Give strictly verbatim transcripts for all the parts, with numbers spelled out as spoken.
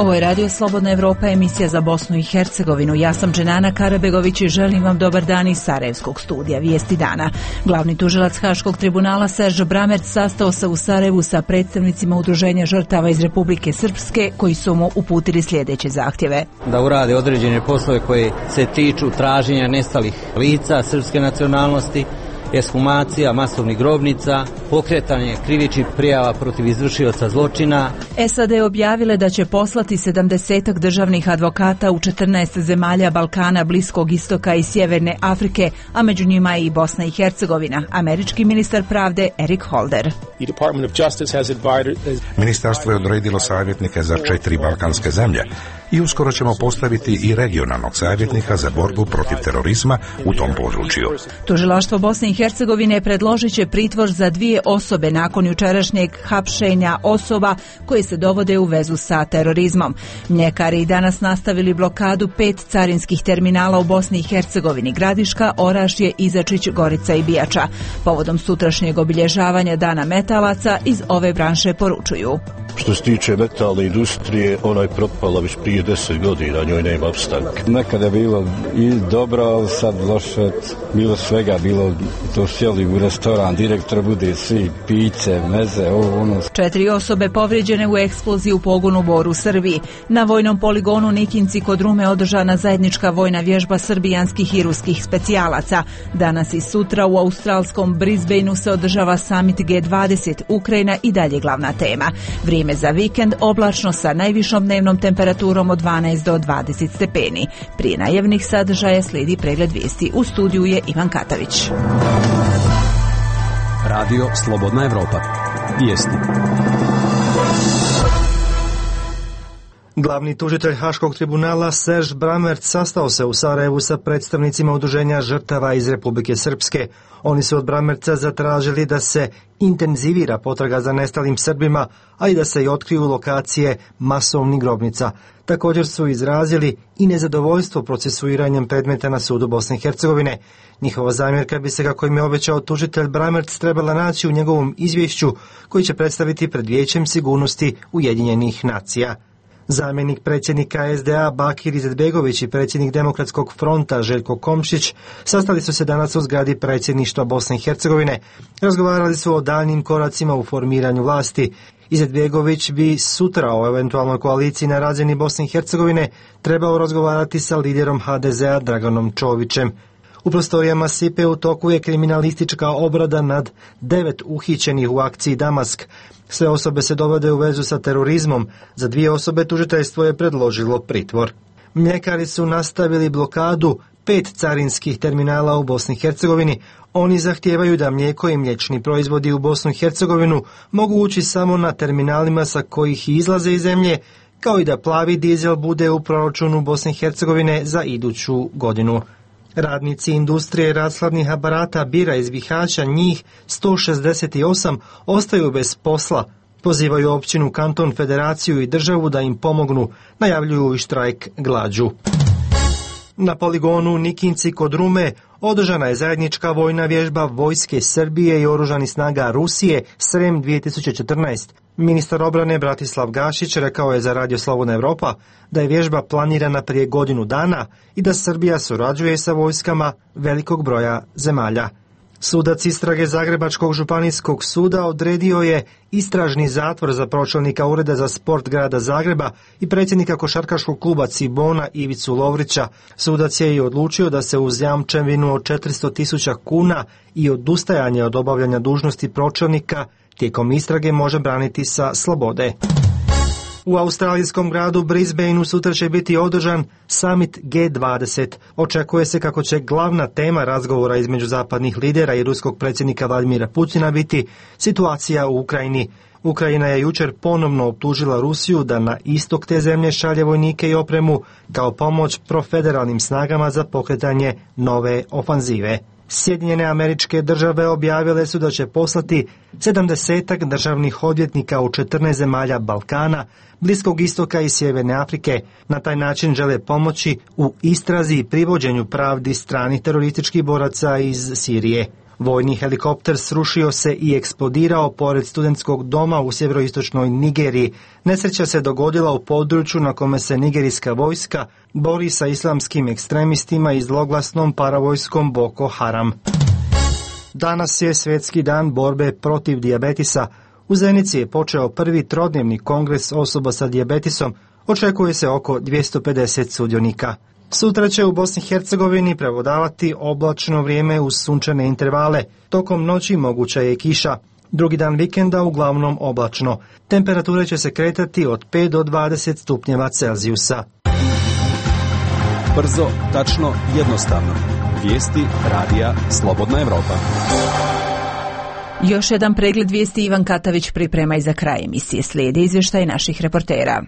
Ovo je Radio Slobodna Evropa, emisija za Bosnu i Hercegovinu. Ja sam Dženana Karabegović i želim vam dobar dan iz Sarajevskog studija Vijesti dana. Glavni tužilac Haškog tribunala Serge Bramerc sastao se u Sarajevu sa predstavnicima udruženja žrtava iz Republike Srpske koji su mu uputili sljedeće zahtjeve. Da urade određene poslove koje se tiču traženja nestalih lica srpske nacionalnosti, ekshumacija masovnih grobnica, pokretanje krivičnih prijava protiv izvršioca zločina. S A D objavile da će poslati sedamdesetak državnih advokata u četrnaest zemalja Balkana, Bliskog istoka i Sjeverne Afrike, a među njima i Bosna i Hercegovina. Američki ministar pravde Eric Holder. Ministarstvo je odredilo savjetnike za četiri balkanske zemlje i uskoro ćemo postaviti i regionalnog savjetnika za borbu protiv terorizma u tom području. Tužilaštvo Bosne i Hercegovine predložit će pritvor za dvije osobe nakon jučerašnjeg hapšenja osoba koje se dovode u vezu sa terorizmom. Mljekari i danas nastavili blokadu pet carinskih terminala u Bosni i Hercegovini: Gradiška, Orašje, Izačić, Gorica i Bijača. Povodom sutrašnjeg obilježavanja Dana metalaca iz ove branše poručuju: što se tiče metalne industrije, ona je propala već prije deset godina, njoj nema opstanka. Nekada je bilo i dobro, ali sad loše, bilo svega, bilo to sjeli u restoran, direktor bude svi piće, meze, ovo ono. Četiri osobe povrijeđene u eksploziji u pogonu Bor u Srbiji. Na vojnom poligonu Nikinci kod Rume održana zajednička vojna vježba srbijanskih i ruskih specijalaca. Danas i sutra u australskom Brisbaneu se održava summit G dvadeset, Ukrajina i dalje glavna tema. Vrijeme za vikend oblačno sa najvišom dnevnom temperaturom od dvanaest do dvadeset stepeni. Prije najavnih sadržaja slijedi pregled vijesti. U studiju je Ivan Katavić. Radio Slobodna Evropa. Vijesti. Glavni tužitelj Haškog tribunala Serge Bramerc sastao se u Sarajevu sa predstavnicima udruženja žrtava iz Republike Srpske. Oni su od Bramerca zatražili da se intenzivira potraga za nestalim Srbima, a i da se i otkriju lokacije masovnih grobnica. Također su izrazili i nezadovoljstvo procesuiranjem predmeta na sudu Bosne i Hercegovine. Njihova zamjerka bi se, kako im je obećao tužitelj Bramerc, trebala naći u njegovom izvješću koji će predstaviti pred Vijećem sigurnosti Ujedinjenih nacija. Zamjenik predsjednika S D A Bakir Izetbegović i predsjednik Demokratskog fronta Željko Komšić sastali su se danas u zgradi predsjedništva Bosne i Hercegovine. Razgovarali su o daljnjim koracima u formiranju vlasti. Izetbegović bi sutra o eventualnoj koaliciji na razini Bosne i Hercegovine trebao razgovarati sa liderom H D Z A Draganom Čovićem. U prostorijama S I P E u toku je kriminalistička obrada nad devet uhićenih u akciji Damask. Sve osobe se dovode u vezu sa terorizmom. Za dvije osobe tužiteljstvo je predložilo pritvor. Mljekari su nastavili blokadu pet carinskih terminala u Bosni i Hercegovini. Oni zahtijevaju da mlijeko i mliječni proizvodi u Bosnu i Hercegovinu mogu ući samo na terminalima sa kojih izlaze iz zemlje, kao i da plavi dizel bude u proračunu Bosne i Hercegovine za iduću godinu. Radnici industrije rashladnih aparata bira iz Bihaća, njih sto šezdeset osam, ostaju bez posla. Pozivaju općinu, kanton, federaciju i državu da im pomognu, najavljuju i štrajk glađu. Na poligonu Nikinci kod Rume održana je zajednička vojna vježba vojske Srbije i oružanih snaga Rusije Srem dvije tisuće četrnaest. Ministar obrane Bratislav Gašić rekao je za Radio Slobodna Evropa da je vježba planirana prije godinu dana i da Srbija surađuje sa vojskama velikog broja zemalja. Sudac istrage Zagrebačkog županijskog suda odredio je istražni zatvor za pročelnika Ureda za sport grada Zagreba i predsjednika košarkaškog kluba Cibona Ivicu Lovrića. Sudac je i odlučio da se uz jamčevinu od četiristo tisuća kuna i odustajanje od obavljanja dužnosti pročelnika tijekom istrage može braniti sa slobode. U australijskom gradu Brisbaneu sutra će biti održan summit G dvadeset. Očekuje se kako će glavna tema razgovora između zapadnih lidera i ruskog predsjednika Vladimira Putina biti situacija u Ukrajini. Ukrajina je jučer ponovno optužila Rusiju da na istok te zemlje šalje vojnike i opremu kao pomoć profederalnim snagama za pokretanje nove ofanzive. Sjedinjene Američke Države objavile su da će poslati sedamdesetak državnih odvjetnika u četrnaest zemalja Balkana, Bliskog istoka i Sjeverne Afrike. Na taj način žele pomoći u istrazi i privođenju pravdi stranih terorističkih boraca iz Sirije. Vojni helikopter srušio se i eksplodirao pored studentskog doma u sjeveroistočnoj Nigeriji. Nesreća se dogodila u području na kome se nigerijska vojska bori sa islamskim ekstremistima i zloglasnom paravojskom Boko Haram. Danas je svjetski dan borbe protiv dijabetisa. U Zenici je počeo prvi trodnevni kongres osoba sa dijabetisom. Očekuje se oko dvjesto pedeset sudionika. Sutra će u Bosni i Hercegovini prevladavati oblačno vrijeme uz sunčane intervale. Tokom noći moguća je kiša. Drugi dan vikenda uglavnom oblačno. Temperature će se kretati od pet do dvadeset stupnjeva Celzijusa. Brzo, tačno, jednostavno. Vijesti radija Slobodna Evropa. Još jedan pregled vijesti Ivan Katavić priprema i za kraj emisije. Slijedi izvještaj naših reportera.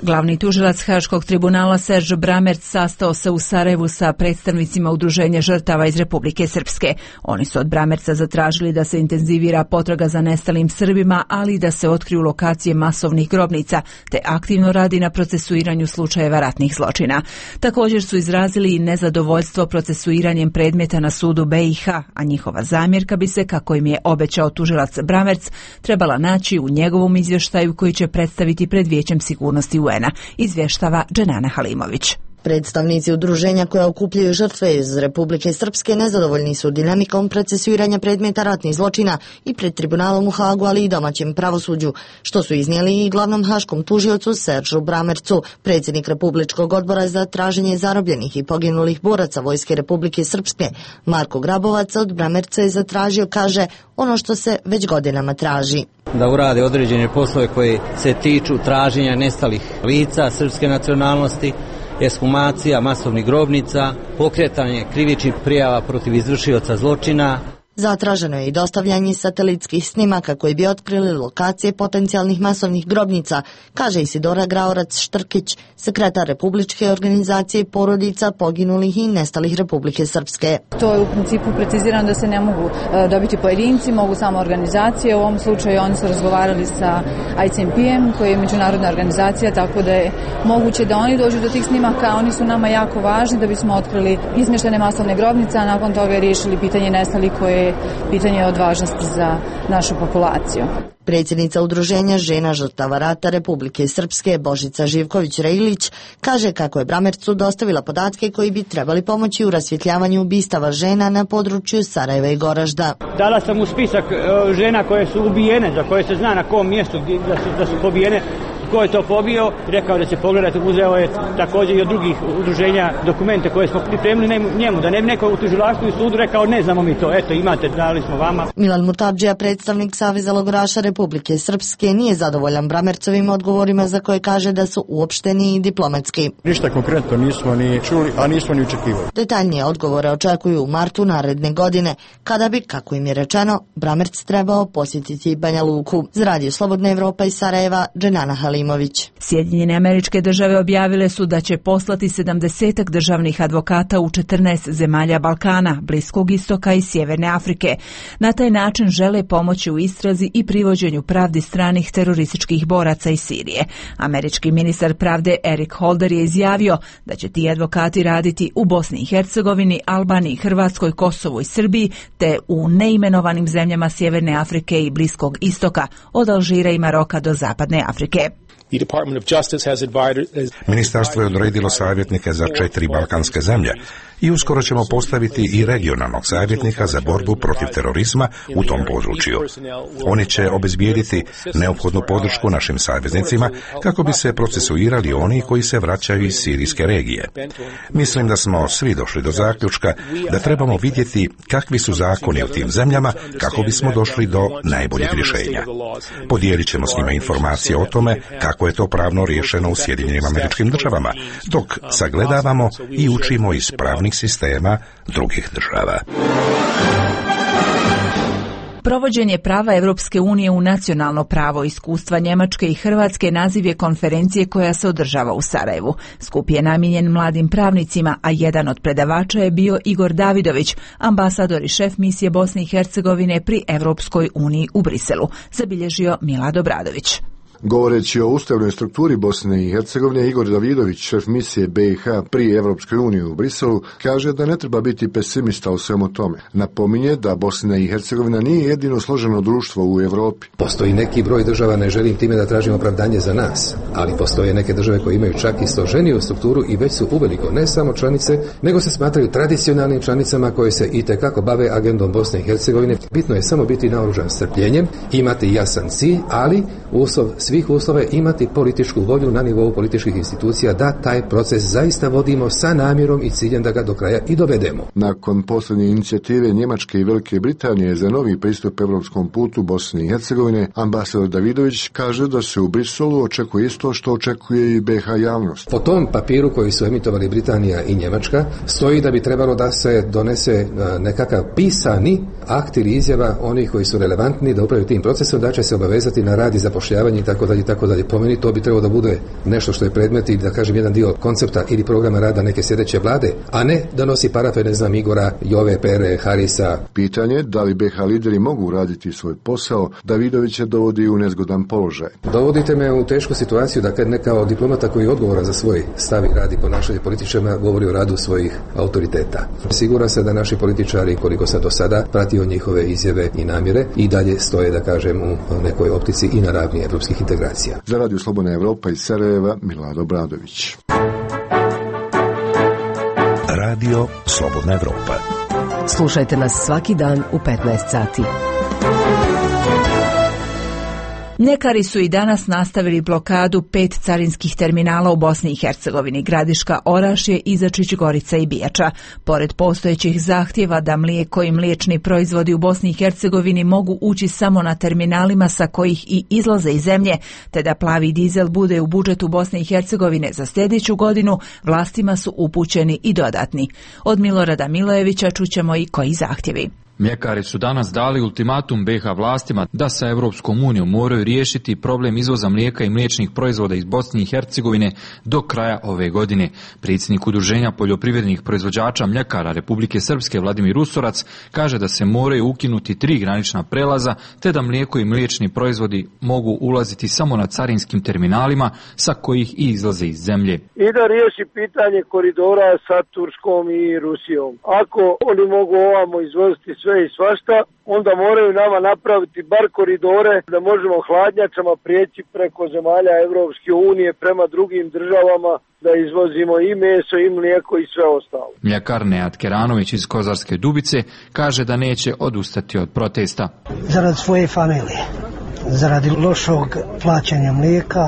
Glavni tužilac Haškog tribunala Serge Bramerc sastao se u Sarajevu sa predstavnicima Udruženja žrtava iz Republike Srpske. Oni su od Bramerca zatražili da se intenzivira potraga za nestalim Srbima, ali i da se otkriju lokacije masovnih grobnica, te aktivno radi na procesuiranju slučajeva ratnih zločina. Također su izrazili i nezadovoljstvo procesuiranjem predmeta na sudu B i H, a njihova zamjerka bi se, kako im je obećao tužilac Bramerc, trebala naći u njegovom izvještaju koji će predstaviti pred Vijećem sigurnosti U N-a, izvještava Dženana Halimović. Predstavnici udruženja koja okupljaju žrtve iz Republike Srpske nezadovoljni su dinamikom procesuiranja predmeta ratnih zločina i pred tribunalom u Hagu, ali i domaćem pravosuđu, što su iznijeli i glavnom haškom tužiocu Seržu Bramercu. Predsjednik Republičkog odbora za traženje zarobljenih i poginulih boraca Vojske Republike Srpske, Marko Grabovac, od Bramerca je zatražio, kaže, ono što se već godinama traži. Da urade određene poslove koje se tiču traženja nestalih lica srpske nacionalnosti, ekshumacija masovnih grobnica, pokretanje krivičnih prijava protiv izvršioca zločina. Zatraženo je i dostavljanje satelitskih snimaka koji bi otkrili lokacije potencijalnih masovnih grobnica, kaže Isidora Graorac-Štrkić, sekretar Republičke organizacije porodica poginulih i nestalih Republike Srpske. To je u principu precizirano da se ne mogu dobiti pojedinci, mogu samo organizacije. U ovom slučaju oni su razgovarali sa I C M P-em, koji je međunarodna organizacija, tako da je moguće da oni dođu do tih snimaka. Oni su nama jako važni da bismo otkrili izmještene masovne grobnice, a nakon toga je riješili pitanje nestalih koje pitanje od važnosti za našu populaciju. Predsjednica Udruženja žena žrtava rata Republike Srpske, Božica Živković-Rejlić, kaže kako je Bramercu dostavila podatke koji bi trebali pomoći u rasvjetljavanju ubistava žena na području Sarajeva i Goražda. Dala sam mu spisak žena koje su ubijene, za koje se zna na kom mjestu da su, da su pobijene. Ko je to pobio, rekao da će pogledati, uzeo je također i od drugih udruženja dokumente koje smo pripremili njemu, da ne bi neko u tužilaštvu i sudu rekao ne znamo mi to, eto imate, dali smo vama. Milan Murtadžija, predstavnik Saveza logoraša Republike Srpske, nije zadovoljan Bramercovim odgovorima za koje kaže da su uopšteni i diplomatski. Ništa konkretno nismo ni čuli, a nismo ni očekivali. Detaljnije odgovore očekuju u martu naredne godine, kada bi, kako im je rečeno, Bramerc trebao posjetiti Banja Luku. Za Radio Slobodna Evropa iz Sarajeva, Dženana Halimović. Sjedinjene Američke Države objavile su da će poslati sedamdesetak državnih advokata u četrnaest zemalja Balkana, Bliskog istoka i Sjeverne Afrike. Na taj način žele pomoći u istrazi i privođenju pravdi stranih terorističkih boraca iz Sirije. Američki ministar pravde Eric Holder je izjavio da će ti advokati raditi u Bosni i Hercegovini, Albaniji, Hrvatskoj, Kosovu i Srbiji, te u neimenovanim zemljama Sjeverne Afrike i Bliskog istoka, od Alžira i Maroka do Zapadne Afrike. Ministarstvo je odredilo savjetnike za četiri balkanske zemlje i uskoro ćemo postaviti i regionalnog savjetnika za borbu protiv terorizma u tom području. Oni će obezbijediti neophodnu podršku našim saveznicima kako bi se procesuirali oni koji se vraćaju iz sirijske regije. Mislim da smo svi došli do zaključka da trebamo vidjeti kakvi su zakoni u tim zemljama kako bismo došli do najboljeg rješenja. Podijelit ćemo s njima informacije o tome kako je to pravno riješeno u Sjedinjenim Američkim Državama, dok sagledavamo i učimo iz pravnih sistema drugih država. Provođenje prava Europske unije u nacionalno pravo, iskustva Njemačke i Hrvatske naziv je konferencije koja se održava u Sarajevu. Skup je namijenjen mladim pravnicima, a jedan od predavača je bio Igor Davidović, ambasador i šef misije Bosne i Hercegovine pri Europskoj uniji u Briselu, zabilježio Milad Obradović. Govoreći o ustavnoj strukturi Bosne i Hercegovine, Igor Davidović, šef misije B i H pri Evropskoj uniji u Briselu, kaže da ne treba biti pesimista o svemu tome. Napominje da Bosna i Hercegovina nije jedino složeno društvo u Evropi. Postoji neki broj država, ne želim time da tražim opravdanje za nas, ali postoje neke države koje imaju čak i složeniju strukturu i već su uveliko ne samo članice, nego se smatraju tradicionalnim članicama koje se itekako bave agendom Bosne i Hercegovine. Bitno je samo biti naoružan strpljenjem, imati jasan cilj, ali uslov svih uslova je imati političku volju na nivou političkih institucija da taj proces zaista vodimo sa namjerom i ciljem da ga do kraja i dovedemo. Nakon posljednje inicijative Njemačke i Velike Britanije za novi pristup evropskom putu Bosne i Hercegovine, ambasador Davidović kaže da se u Briselu očekuje isto što očekuje i B H javnost. Po tom papiru koji su emitovali Britanija i Njemačka stoji da bi trebalo da se donese nekakav pisani akt ili izjava onih koji su relevantni da upravljaju tim procesom, da će se obavezati na rad i zapošljavanje i tako dalje, tako dalje. Po meni to bi trebalo da bude nešto što je predmet i da kažem jedan dio koncepta ili programa rada neke sljedeće vlade, a ne da nosi parafe, ne znam, Igora, Jove, Pere, Harisa. Pitanje da li B H lideri mogu raditi svoj posao, Davidovića dovodi u nezgodan položaj. Dovodite me u tešku situaciju da kad neka od diplomata koji je odgovoran za svoj stav i radi ponašanje političara govori o radu svojih autoriteta. Siguran sam da naši političari, koliko sam do sada pratio njihove izjave i namjere, i dalje stoje, da kažem, u nekoj optici i na ravni evropskih integracija. Za Radio Slobodna Evropa iz Sarajeva, Milad Obradović. Radio Slobodna Evropa. Slušajte nas svaki dan u petnaest sati. Mljekari su i danas nastavili blokadu pet carinskih terminala u Bosni i Hercegovini, Gradiška, Orašje, Izačić, Gorica i Bijača. Pored postojećih zahtjeva da mlijeko i mliječni proizvodi u Bosni i Hercegovini mogu ući samo na terminalima sa kojih i izlaze iz zemlje, te da plavi dizel bude u budžetu Bosne i Hercegovine za sljedeću godinu, vlastima su upućeni i dodatni. Od Milorada Milojevića čućemo i koji zahtjevi. Mljekari su danas dali ultimatum B H vlastima da sa Europskom unijom moraju riješiti problem izvoza mlijeka i mliječnih proizvoda iz Bosne i Hercegovine do kraja ove godine. Predsjednik Udruženja poljoprivrednih proizvođača mljekara Republike Srpske Vladimir Usorac kaže da se moraju ukinuti tri granična prelaza, te da mlijeko i mliječni proizvodi mogu ulaziti samo na carinskim terminalima sa kojih i izlaze iz zemlje. I da riješi pitanje koridora sa Turskom i Rusijom. Ako oni mogu ovamo izvoziti sve i svašta, onda moraju nama napraviti bar koridore da možemo hladnjačama prijeći preko zemalja Evropske unije prema drugim državama da izvozimo i meso i mlijeko i sve ostalo. Mljekar Nejat Keranović iz Kozarske Dubice kaže da neće odustati od protesta. Zarad svoje familije, zaradi lošog plaćanja mlijeka,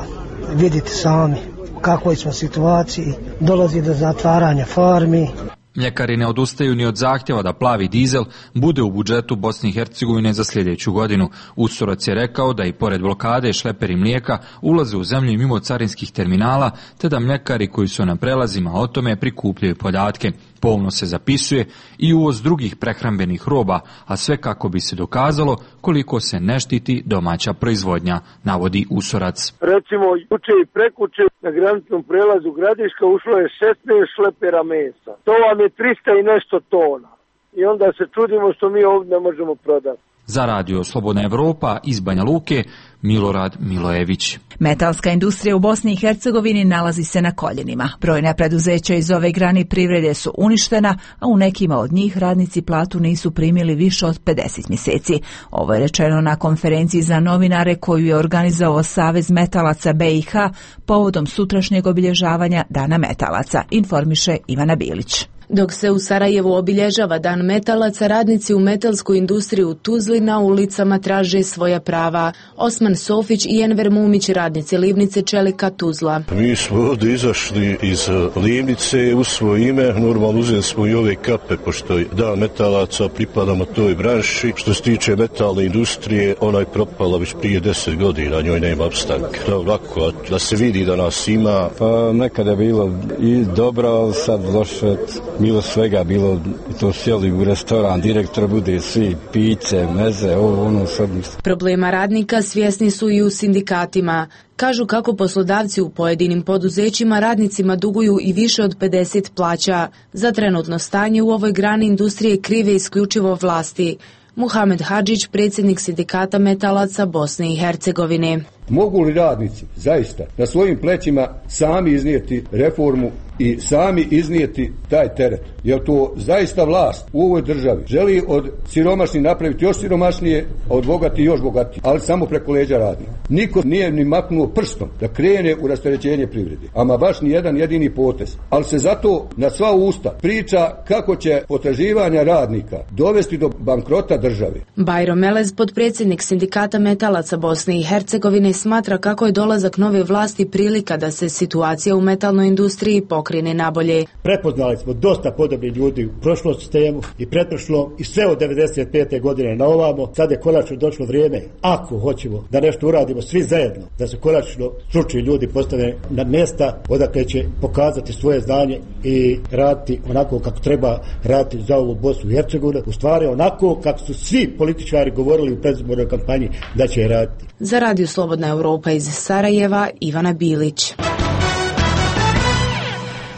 vidite sami u kakvoj smo situaciji, dolazi do zatvaranja farmi. Mljekari ne odustaju ni od zahtjeva da plavi dizel bude u budžetu Bosne i Hercegovine za sljedeću godinu. Usorac je rekao da i pored blokade šleperi mlijeka ulaze u zemlju mimo carinskih terminala, te da mljekari koji su na prelazima o tome prikupljaju podatke. Pomno se zapisuje i uvoz drugih prehrambenih roba, a sve kako bi se dokazalo koliko se ne štiti domaća proizvodnja, navodi Usorac. Recimo, juče i prekuče na graničnom prelazu Gradiška ušlo je šesnaest šlepera mesa. To vam je trista i nešto tona. I onda se čudimo što mi ovdje ne možemo prodati. Za Radio Slobodna Evropa iz Banja Luke, Milorad Milojević. Metalska industrija u Bosni i Hercegovini nalazi se na koljenima. Brojna preduzeća iz ove grane privrede su uništena, a u nekima od njih radnici platu nisu primili više od pedeset mjeseci. Ovo je rečeno na konferenciji za novinare koju je organizovao Savez metalaca B i H povodom sutrašnjeg obilježavanja Dana metalaca, informiše Ivana Bilić. Dok se u Sarajevu obilježava Dan metalaca, radnici u metalskoj industriji u Tuzli na ulicama traže svoja prava. Osman Sofić i Enver Mumić, radnici livnice Čelika Tuzla. Mi smo ovdje izašli iz livnice u svoje ime, normalno uzeli smo i ove kape, pošto je Dan metalaca, pripadamo toj branši. Što se tiče metalne industrije, ona je propala već prije deset godina, njoj nema opstanka. Da, lako, da se vidi da nas ima. Pa nekada je bilo i dobro, ali sad loše. Bilo svega, bilo to sjeli u restoran, direktor bude svi, pice, meze, ovo, ono, sad. Problema radnika svjesni su i u sindikatima. Kažu kako poslodavci u pojedinim poduzećima radnicima duguju i više od pedeset plaća. Za trenutno stanje u ovoj grani industrije krive isključivo vlasti. Muhamed Hadžić, predsjednik sindikata metalaca Bosne i Hercegovine. Mogu li radnici zaista na svojim plećima sami iznijeti reformu i sami iznijeti taj teret? Jer to zaista vlast u ovoj državi želi od siromašnih napraviti još siromašnije, a od bogati još bogatije, ali samo preko leđa radnika. Niko nije ni maknuo prstom da krene u rasterećenje privrede, ama baš ni jedan jedini potez. Ali se zato na sva usta priča kako će potraživanja radnika dovesti do bankrota države. Bajro Melez, potpredsjednik Sindikata metalaca Bosne i Hercegovine, smatra kako je dolazak nove vlasti prilika da se situacija u metalnoj industriji pokrene nabolje. Prepoznali smo dosta podobnih ljudi u prošlom sistemu i pretprošlom i sve od devedeset pete godine na ovamo. Sad je konačno došlo vrijeme, ako hoćemo da nešto uradimo svi zajedno, da se konačno stručni ljudi postave na mjesta odakle će pokazati svoje znanje i raditi onako kako treba raditi za ovu Bosnu i Hercegovinu, u stvari onako kako su svi političari govorili u predizbornoj kampanji da će raditi. Za Radio Slobodna Europa iz Sarajeva, Ivana Bilić.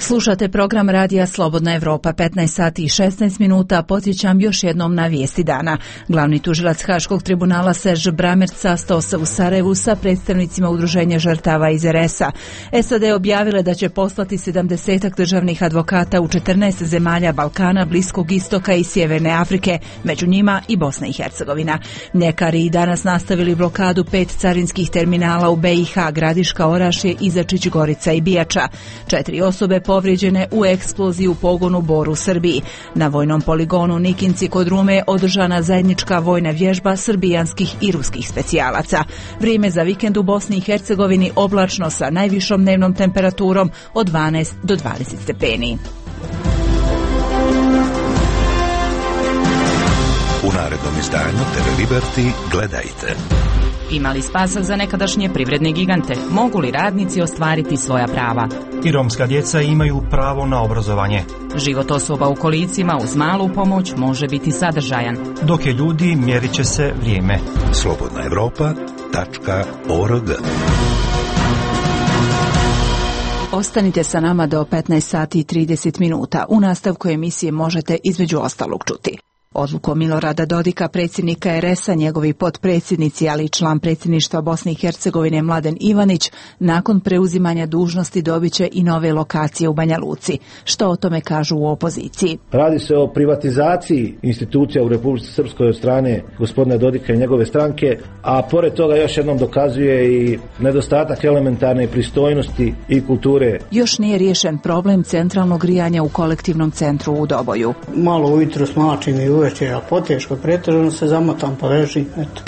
Slušate program Radija Slobodna Evropa, petnaest sati i šesnaest minuta. Podsjećam još jednom na vijesti dana. Glavni tužilac Haškog tribunala Serž Bramerc sastao se u Sarajevu sa predstavnicima udruženja žrtava iz er es a. es a de objavile da će poslati sedamdesetak državnih advokata u četrnaest zemalja Balkana, Bliskog istoka i Sjeverne Afrike, među njima i Bosna i Hercegovina. Mljekari i danas nastavili blokadu pet carinskih terminala u be i ha, Gradiška, Orašje, Izačić, Gorica i Bijača. Četiri osobe povrijeđene u eksploziji u pogonu Bor u Srbiji. Na vojnom poligonu Nikinci kod Rume održana zajednička vojna vježba srbijanskih i ruskih specijalaca. Vrijeme za vikend u Bosni i Hercegovini oblačno sa najvišom dnevnom temperaturom od dvanaest do dvadeset stepeni. U narednom izdanju te ve Liberty gledajte. Ima li spasa za nekadašnje privredne gigante? Mogu li radnici ostvariti svoja prava? I romska djeca imaju pravo na obrazovanje. Život osoba u kolicima uz malu pomoć može biti sadržajan. Dok je ljudi, mjerit će se vrijeme. slobodna evropa tačka org. Ostanite sa nama do petnaest sati i trideset minuta. U nastavku emisije možete između ostalog čuti. Odlukom Milorada Dodika, predsjednika er es a, njegovi potpredsjednici, ali i član predsjedništva Bosne i Hercegovine Mladen Ivanić, nakon preuzimanja dužnosti dobit će i nove lokacije u Banja Luci. Što o tome kažu u opoziciji? Radi se o privatizaciji institucija u Republici Srpskoj od strane gospodina Dodika i njegove stranke, a pored toga još jednom dokazuje i nedostatak elementarne pristojnosti i kulture. Još nije riješen problem centralnog grijanja u kolektivnom centru u Doboju. Malo ujutro smačim i uveče, a poteško pretežno se zamotam pa ležim, eto.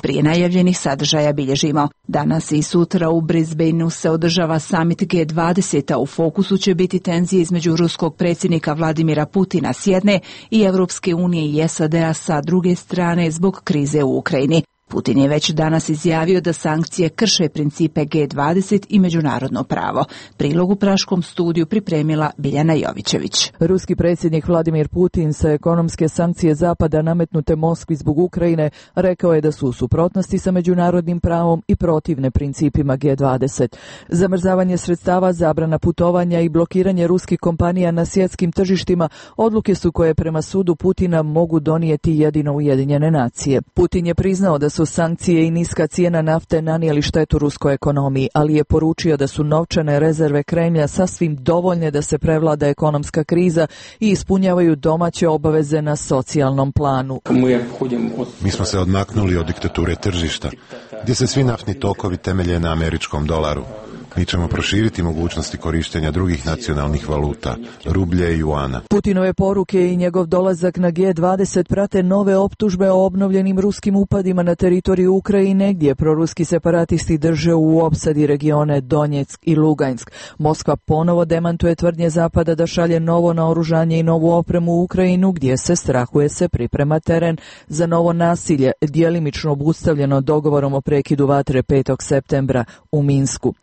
Prije najavljenih sadržaja bilježimo. Danas i sutra u Brisbaneu se održava summit ge dvadeset, a u fokusu će biti tenzije između ruskog predsjednika Vladimira Putina s jedne i Evropske unije i es a de a sa druge strane zbog krize u Ukrajini. Putin je već danas izjavio da sankcije krše principe ge dvadeset i međunarodno pravo. Prilog u praškom studiju pripremila Biljana Jovićević. Ruski predsjednik Vladimir Putin sa ekonomske sankcije Zapada nametnute Moskvi zbog Ukrajine rekao je da su u suprotnosti sa međunarodnim pravom i protivne principima ge dvadeset. Zamrzavanje sredstava, zabrana putovanja i blokiranje ruskih kompanija na svjetskim tržištima odluke su koje prema sudu Putina mogu donijeti jedino Ujedinjene nacije. Putin je priznao da su sankcije i niska cijena nafte nanijeli štetu ruskoj ekonomiji, ali je poručio da su novčane rezerve Kremlja sasvim dovoljne da se prevlada ekonomska kriza i ispunjavaju domaće obaveze na socijalnom planu. Mi smo se odmaknuli od diktature tržišta, gdje se svi naftni tokovi temelje na američkom dolaru. Mi ćemo proširiti mogućnosti korištenja drugih nacionalnih valuta, rublje i juana. Putinove poruke i njegov dolazak na ge dvadeset prate nove optužbe o obnovljenim ruskim upadima na teritoriju Ukrajine, gdje proruski separatisti drže u opsadi regione Donjeck i Lugansk. Moskva ponovo demantuje tvrdnje Zapada da šalje novo naoružanje i novu opremu u Ukrajinu, gdje se strahuje se priprema teren za novo nasilje, djelimično obustavljeno dogovorom o prekidu vatre petog septembra u Minsku.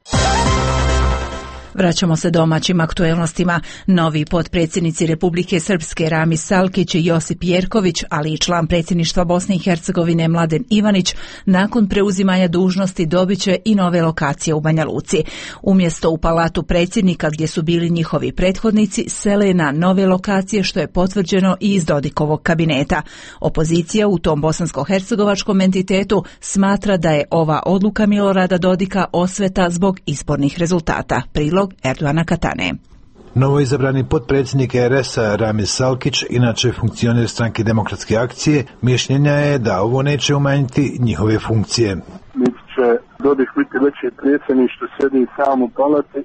Vraćamo se domaćim aktuelnostima. Novi potpredsjednici Republike Srpske Ramis Salkić i Josip Jerković, ali i član predsjedništva Bosne i Hercegovine Mladen Ivanić, nakon preuzimanja dužnosti dobit će i nove lokacije u Banja Luci. Umjesto u palatu predsjednika gdje su bili njihovi prethodnici, sele na nove lokacije, što je potvrđeno i iz Dodikovog kabineta. Opozicija u tom bosansko-hercegovačkom entitetu smatra da je ova odluka Milorada Dodika osveta zbog izbornih rezultata. Prilog Erdoana Katane. Novoizabrani potpredsjednik R S a Ramis Salkić, inače funkcioner stranke Demokratske akcije, mišljenja je da ovo neće umanjiti njihove funkcije. Niti će Dodik biti veći predsjednik što sjedi sam u palati,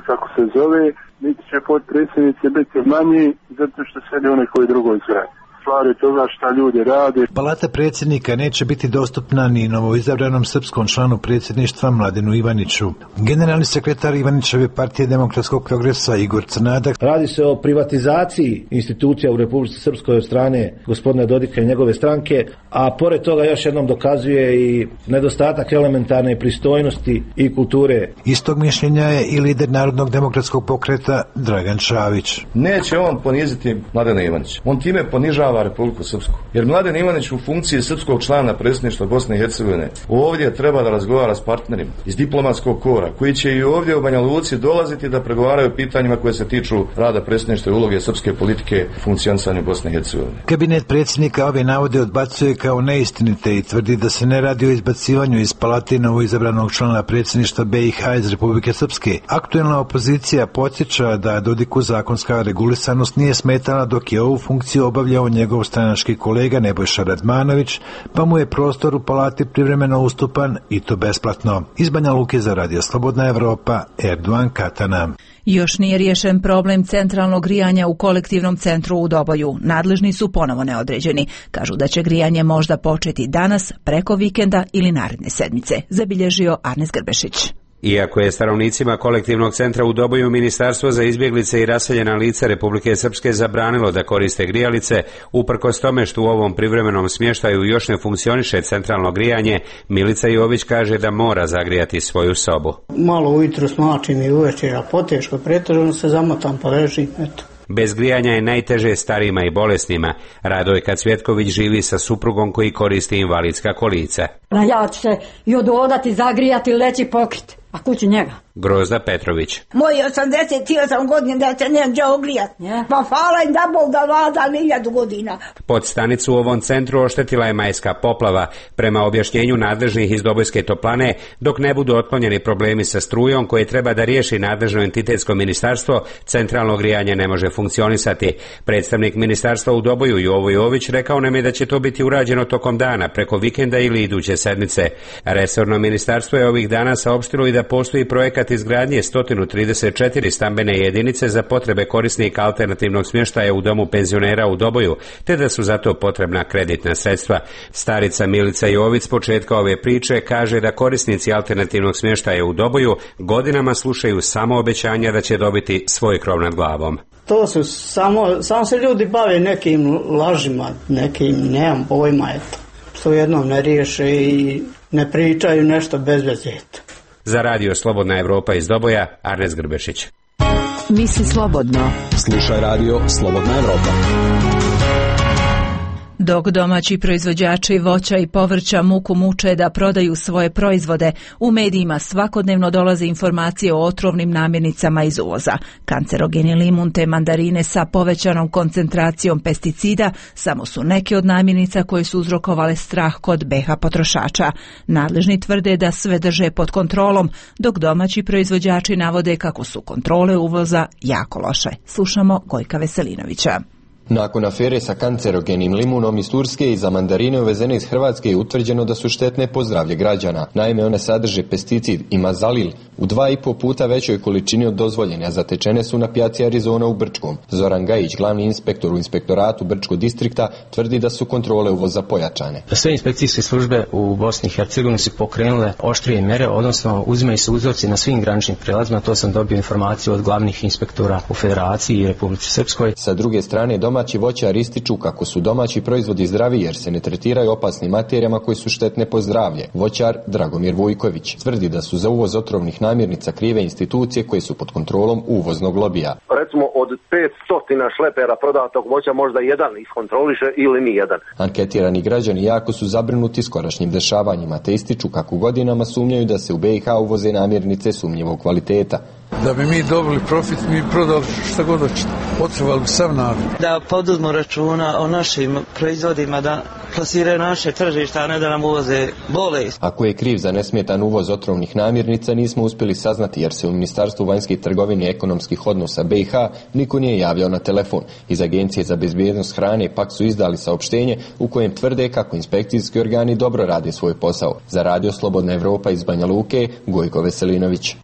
kako se zove, niti će potpredsjednici biti manji zato što sjedi u nekoj drugoj zgradi. Stvari toga šta ljudi rade. Palata predsjednika neće biti dostupna ni novoizabranom srpskom članu predsjedništva Mladenu Ivaniću. Generalni sekretar Ivanićeve partije Demokratskog progresa Igor Crnadak. Radi se o privatizaciji institucija u Republici Srpskoj od strane gospodina Dodika i njegove stranke, a pored toga još jednom dokazuje i nedostatak elementarne pristojnosti i kulture. Istog mišljenja je i lider Narodnog demokratskog pokreta Dragan Čavić. Neće on poniziti Mladena Ivanića. On time ponižava Republiku Srpsku. Jer Mladen Ivanić u funkciji srpskog člana predsjedništva Bosne i Hercegovine ovdje treba da razgovara s partnerima iz diplomatskog kora, koji će i ovdje u Banja Luci dolaziti da pregovaraju o pitanjima koje se tiču rada predsjedništva i uloge srpske politike u funkcionisanju Bosne i Hercegovine. Kabinet predsjednika ove navode odbacuje kao neistinite i tvrdi da se ne radi o izbacivanju iz palate novoizabranog člana predsjedništva B i H iz Republike Srpske. Aktuelna opozicija podsjeća da Dodiku zakonska regulisanost nije smetala dok je ovu funkciju obavljao njegov stranački kolega Nebojša Radmanović, pa mu je prostor u palati privremeno ustupan i to besplatno. Iz Banja Luke za Radio Slobodna Evropa, Erdoan Katana. Još nije riješen problem centralnog grijanja u kolektivnom centru u Doboju. Nadležni su ponovo neodređeni. Kažu da će grijanje možda početi danas, preko vikenda ili naredne sedmice. Zabilježio Arnes Grbešić. Iako je stanovnicima kolektivnog centra u Doboju Ministarstvo za izbjeglice i raseljena lica Republike Srpske zabranilo da koriste grijalice, uprkos tome što u ovom privremenom smještaju još ne funkcioniše centralno grijanje, Milica Jović kaže da mora zagrijati svoju sobu. Malo ujutro smačim i uvečer, a poteško pretežno se zamotam pa ležim, eto. Bez grijanja je najteže starijima i bolesnima. Radojka Cvjetković živi sa suprugom koji koristi invalidska kolica. Ja ću se i ododati, zagrijati, leći pokriti. A kući njega? Grozda Petrović. Moji osamdeset osam godina da se ne može ogrijati. Yeah. Pa hvala im da Bog da vlada milijadu godina. Pod stanicu u ovom centru oštetila je majska poplava, prema objašnjenju nadležnih iz Dobojske toplane, dok ne budu otklonjeni problemi sa strujom koje treba da riješi nadležno entitetsko ministarstvo, centralno grijanje ne može funkcionisati. Predstavnik ministarstva u Doboju Jovo Jović rekao nam je da će to biti urađeno tokom dana, preko vikenda ili iduće sedmice. Resorno ministarstvo je ovih dana saopštilo i da postoji projekat izgradnje sto trideset četiri stambene jedinice za potrebe korisnika alternativnog smještaja u domu penzionera u Doboju, te da su zato potrebna kreditna sredstva. Starica Milica Jović s početka ove priče kaže da korisnici alternativnog smještaja u Doboju godinama slušaju samo obećanja da će dobiti svoj krov nad glavom. To su samo, samo se ljudi bave nekim lažima, nekim, nemam pojma, eto. Što jednom ne riješe i ne pričaju nešto bez veze. Za Radio Slobodna Evropa iz Doboja, Arnes Grbešić. Misli slobodno. Slušaj Radio Slobodna Evropa. Dok domaći proizvođači voća i povrća muku muče da prodaju svoje proizvode, u medijima svakodnevno dolaze informacije o otrovnim namirnicama iz uvoza. Kancerogeni limun te mandarine sa povećanom koncentracijom pesticida samo su neke od namirnica koje su uzrokovale strah kod B H potrošača. Nadležni tvrde da sve drže pod kontrolom, dok domaći proizvođači navode kako su kontrole uvoza jako loše. Slušamo Gojka Veselinovića. Nakon afere sa kancerogenim limunom iz Turske i za mandarine uvezene iz Hrvatske je utvrđeno da su štetne po zdravlje građana. Naime, one sadrže pesticid imazalil u dva i po puta većoj količini od dozvoljene, a zatečene su na pijaci Arizona u Brčkom. Zoran Gajić, glavni inspektor u inspektoratu Brčkog distrikta, tvrdi da su kontrole uvoza pojačane. Sve inspekcijske službe u Bosni i Hercegovini su pokrenule oštrije mere, odnosno uzimaju se uzorci na svim graničnim prijelazima. To sam dobio informaciju od glavnih inspektora u Federaciji i Republici Srpskoj. Sa druge strane, doma Domaći voćari ističu kako su domaći proizvodi zdraviji jer se ne tretiraju opasnim materijama koji su štetne po zdravlje. Voćar Dragomir Vujković tvrdi da su za uvoz otrovnih namirnica krive institucije koje su pod kontrolom uvoznog lobija. Recimo od petsto šlepera prodatog voća možda jedan iskontroliše ili ni jedan. Anketirani građani jako su zabrinuti skorašnjim dešavanjima te ističu kako godinama sumnjaju da se u be i ha uvoze namirnice sumnjivog kvaliteta. Da bi mi dobili profit, mi prodali šta god hoćete. Potrebali bi sav narod. Da poduzmu računa o našim proizvodima, da plasiraju naše tržišta, a ne da nam uvoze bolest. Ako je kriv za nesmetan uvoz otrovnih namirnica, nismo uspjeli saznati jer se u Ministarstvu vanjskih trgovine i ekonomskih odnosa be i ha niko nije javljao na telefon. Iz Agencije za bezbjednost hrane pak su izdali saopštenje u kojem tvrde kako inspekcijski organi dobro rade svoj posao. Za Radio Slobodna Evropa iz Banja Luke, Gojko Veselinović.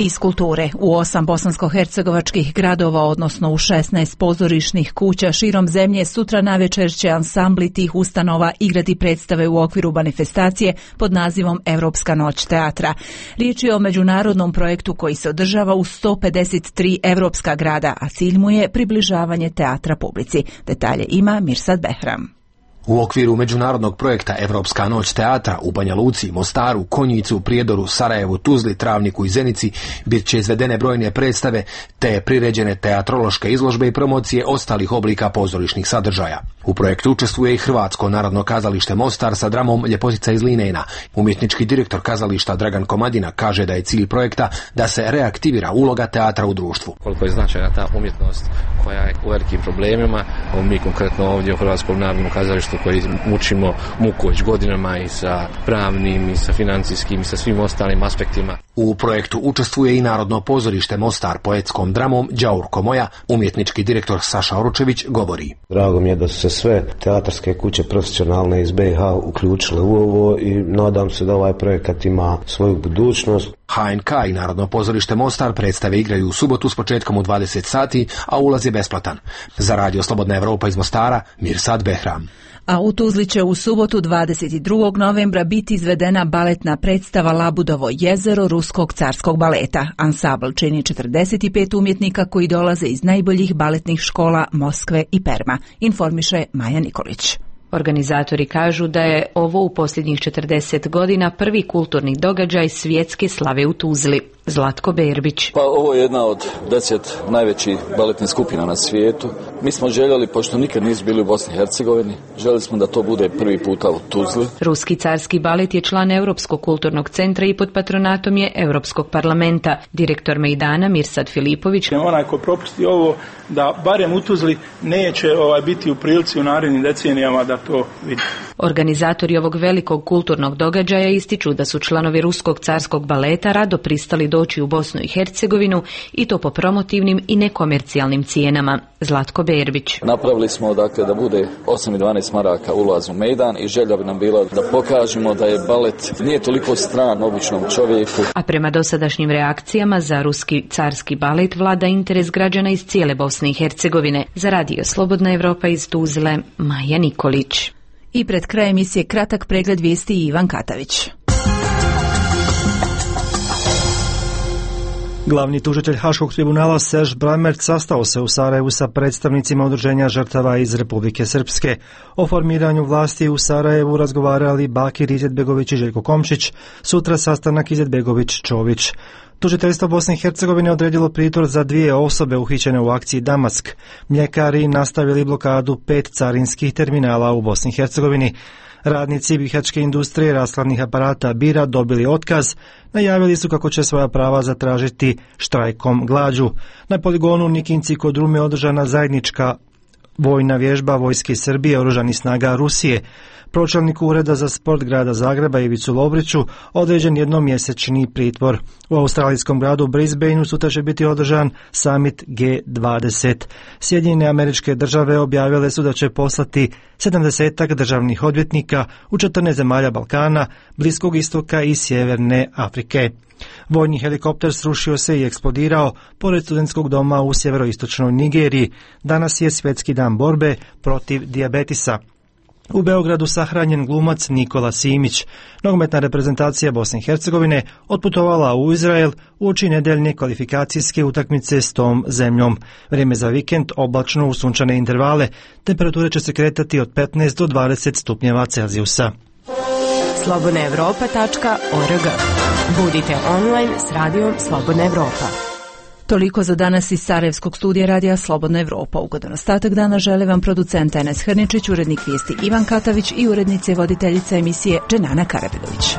Iz kulture. U osam bosansko-hercegovačkih gradova, odnosno u šesnaest pozorišnih kuća širom zemlje, sutra navečer će ansambli tih ustanova igrati predstave u okviru manifestacije pod nazivom Evropska noć teatra. Riječ je o međunarodnom projektu koji se održava u sto pedeset tri evropska grada, a cilj mu je približavanje teatra publici. Detalje ima Mirsad Behram. U okviru međunarodnog projekta Evropska noć teatra u Banja Luci, Mostaru, Konjicu, Prijedoru, Sarajevu, Tuzli, Travniku i Zenici bit će izvedene brojne predstave te priređene teatrološke izložbe i promocije ostalih oblika pozorišnih sadržaja. U projektu učestvuje i Hrvatsko narodno kazalište Mostar sa dramom Ljepotica iz Linejna. Umjetnički direktor kazališta Dragan Komadina kaže da je cilj projekta da se reaktivira uloga teatra u društvu. Koliko je značajna ta umjetnost koja je u velikim problemima, mi konkretno ovdje u Hrvatskom narodnom kazalištu koji mučimo muku već godinama i sa pravnim i sa financijskim i sa svim ostalim aspektima. U projektu učestvuje i Narodno pozorište Mostar poetskom dramom Đaurko moja. Umjetnički direktor Saša Oručević govori. Drago mi je da su se sve teatarske kuće profesionalne iz be i ha uključile u ovo i nadam se da ovaj projekat ima svoju budućnost. ha en ka i Narodno pozorište Mostar predstave igraju u subotu s početkom u dvadeset sati, a ulaz je besplatan. Za Radio Slobodna Evropa iz Mostara, Mirsad Behram. A u Tuzli će u subotu dvadeset drugog novembra biti izvedena baletna predstava Labudovo jezero Ruskog carskog baleta. Ansambl čini četrdeset pet umjetnika koji dolaze iz najboljih baletnih škola Moskve i Perma, informiše Maja Nikolić. Organizatori kažu da je ovo u posljednjih četrdeset godina prvi kulturni događaj svjetske slave u Tuzli. Zlatko Berbić. Pa ovo je jedna od deset najvećih baletnih skupina na svijetu. Mi smo željeli, pošto nikad nisu bili u Bosni i Hercegovini, željeli smo da to bude prvi puta u Tuzli. Ruski carski balet je član Europskog kulturnog centra i pod patronatom je Europskog parlamenta. Direktor Mejdana Mirsad Filipović. Onaj ko propusti ovo, da barem u Tuzli neće ovaj, biti u prilici u narednim decenijama da to vidi. Organizatori ovog velikog kulturnog događaja ističu da su članovi Ruskog carskog baleta rado pristali doći u Bosnu i Hercegovinu i to po promotivnim i nekomercijalnim cijenama. Zlatko Berbić. Napravili smo dakle da bude osam i dvanaest maraka ulaz u Mejdan i želja bi nam bila da pokažemo da je balet nije toliko stran običnom čovjeku. A prema dosadašnjim reakcijama za Ruski carski balet vlada interes građana iz cijele Bosne i Hercegovine. Za Radio Slobodna Evropa iz Tuzle, Maja Nikolić. I pred krajem emisije kratak pregled vijesti i Ivan Katavić. Glavni tužitelj Haškog tribunala Serž Brammertz sastao se u Sarajevu sa predstavnicima udruženja žrtava iz Republike Srpske. O formiranju vlasti u Sarajevu razgovarali Bakir Izetbegović i Željko Komšić, sutra sastanak Izetbegović-Čović. Tužiteljstvo Bosne i Hercegovine odredilo pritvor za dvije osobe uhićene u akciji Damask. Mljekari nastavili blokadu pet carinskih terminala u Bosni i Hercegovini. Radnici bihačke industrije rashladnih aparata Bira dobili otkaz, najavili su kako će svoja prava zatražiti štrajkom glađu. Na poligonu u Nikinci kod Rume održana zajednička vojna vježba Vojske Srbije oružanih snaga Rusije. Pročelniku Ureda za sport grada Zagreba Ivicu Lovriću određen jednomjesečni pritvor. U australijskom gradu Brisbaneu sutra će biti održan summit G dvadeset. Sjedinjene Američke Države objavile su da će poslati sedamdesetak državnih odvjetnika u četrnaest zemalja Balkana, Bliskog istoka i Sjeverne Afrike. Vojni helikopter srušio se i eksplodirao pored studentskog doma u sjeveroistočnoj Nigeriji. Danas je svjetski dan borbe protiv dijabetisa. U Beogradu sahranjen glumac Nikola Simić. Nogometna reprezentacija Bosne i Hercegovine otputovala u Izrael uoči nedeljne kvalifikacijske utakmice s tom zemljom. Vrijeme za vikend oblačno u sunčane intervale. Temperature će se kretati od petnaest do dvadeset stupnjeva Celzijusa. slobodna evropa tačka org. Budite online s radijom Slobodna Evropa. Toliko za danas iz Sarajevskog studija radija Slobodna Evropa. Ugodan ostatak dana žele vam producent Enes Hrničić, urednik vijesti Ivan Katavić i urednice i voditeljica emisije Dženana Karabedović.